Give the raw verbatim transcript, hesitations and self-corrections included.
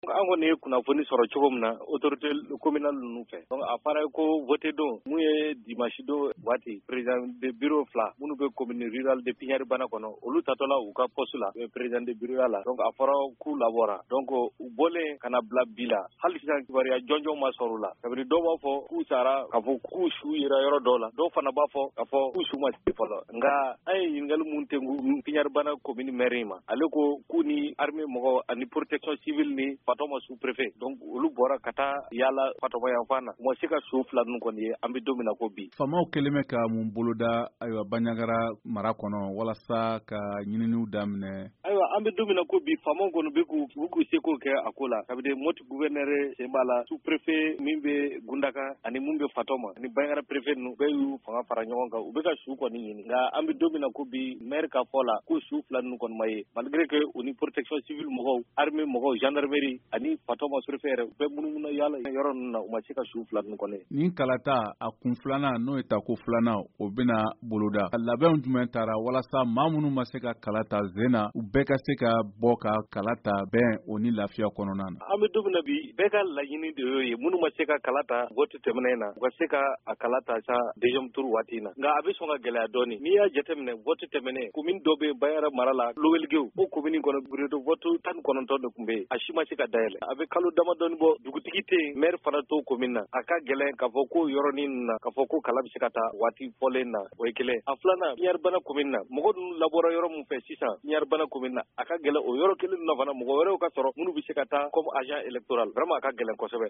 An kɔni ye kunnafoni sɔrɔ cogo min na autorité communale ninnu fɛ, donc a fɔra ko voté don mun ye dimanche don waati, président de bureau fila minnu bɛ commune rurale de Piñaribana kɔnɔ, olu tatɔla u ka poste la président de bureau la, donc a fɔra k'u labɔra, donc u bɔlen ka na bila bi la, hali sisan kibaruya jɔnjɔn ma sɔrɔ u la. Kabini dɔw b'a fɔ k'u sara, k'a fɔ k'u su yera yɔrɔ dɔw la, dɔw fana b'a fɔ k'a fɔ k'u su ma se fɔlɔ. Nka an ye ɲininkali mun tengu Piñaribana commune maire ma, ale ko k'u ni armée mɔgɔw ani protection civile ni Fatɔma sous préfet, donc olu bɔra ka taa yaala Fatɔma yanfan na, u ma se ka su fila ninnu kɔni ye an bɛ don min na ko bi. Faamaw kɛlen bɛ ka mun boloda ayiwa Bandiagara mara kɔnɔ walasa ka ɲininiw daminɛ? Ayiwa, an bɛ don min na ko bi, faamaw kɔni bɛ k'u k'u seko kɛ a ko la. Kabini Moti gouverneur sen b'a la, sous préfet min bɛ Gundaka ani mun bɛ Fatɔma ani Bandiagara préfet ninnu, bɛɛ y'u fanga fara ɲɔgɔn kan, u bɛ ka su kɔni ɲini. Nka an bɛ don min na ko bi, maire ka fɔ la ko su fila ninnu kɔni ma ye, malgré que u ni protection civile mɔgɔw, armée mɔgɔw, gendarmerie ani Fatɔma préfet yɛrɛ bɛɛ munumunu yaala yɔrɔ ninnu na, u ma se ka su fila ninnu kɔni ye. Nin kalata a kun filanan, n'o ye tako filanan, o bɛna boloda, labɛnw jumɛn taara walasa maa minnu ma se ka kala ta zen na, u bɛɛ ka se ka bɔ ka kala ta bɛn o ni lafiya kɔnɔna na? An bɛ don min na bi, bɛɛ ka laɲini de y'o ye, minnu ma se ka kala ta vote tɛmɛnen na, u ka se ka a kala ta sa deuxième tour waati in na. Nka a bɛ sɔn ka gɛlɛya dɔɔni. N'i y'a jateminɛ, vote tɛmɛnen, commune dɔ bɛ yen Bandiagara mara la, Loweligew, o commune kɔnɔ bureau de vote tan ni kɔnɔntɔn de tun bɛ yen, a si ma se ka dayɛlɛ. A bɛ kalo damadɔni bɔ, dugutigi tɛ yen, maire fana t'o commune na. A ka gɛlɛn k'a fɔ ko yɔrɔnin na k'a fɔ ko kala bɛ se ka taa waati fɔlen na, o ye kelen. A filanan, Piñaribana commune na, mɔgɔ ninnu labɔra yɔrɔ min fɛ sisan Piñaribana commune na, a ka gɛlɛn o yɔrɔ kelen na fana mɔgɔ wɛrɛw ka sɔrɔ minnu bɛ se ka taa comme agent électoral. Vraiment, a ka gɛlɛn kosɛbɛ.